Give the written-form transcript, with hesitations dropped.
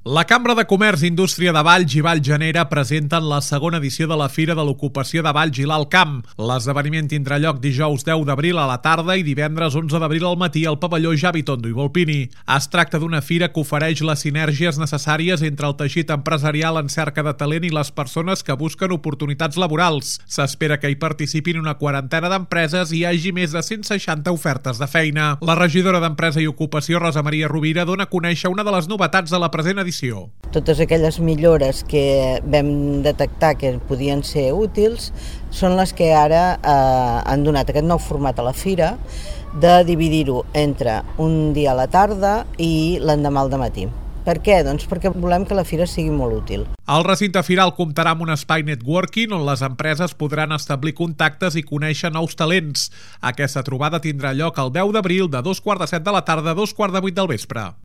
La Cambra de Comerç i Indústria de Valls i Vallgenera presenten la segona edició de la Fira de l'Ocupació de Valls i l'Alt Camp. L'esdeveniment tindrà lloc dijous 10 d'abril a la tarda i divendres 11 d'abril al matí al pavelló Javi Tondo i Volpini. Es tracta d'una fira que ofereix les sinergies necessàries entre el teixit empresarial en cerca de talent i les persones que busquen oportunitats laborals. S'espera que hi participin una quarantena d'empreses i hi hagi més de 160 ofertes de feina. La regidora d'Empresa i Ocupació, Rosa Maria Rovira, dona a conèixer una de les novetats de la present edició. Totes aquelles millores que vam detectar que podien ser útils són les que ara han donat aquest nou format a la fira, de dividir-ho entre un dia a la tarda i l'endemà al dematí. Per què? Doncs perquè volem que la fira sigui molt útil. El recinte firal comptarà amb un espai networking on les empreses podran establir contactes i conèixer nous talents. Aquesta trobada tindrà lloc el 10 d'abril de 2:45 de la tarda a 2:45 del vespre.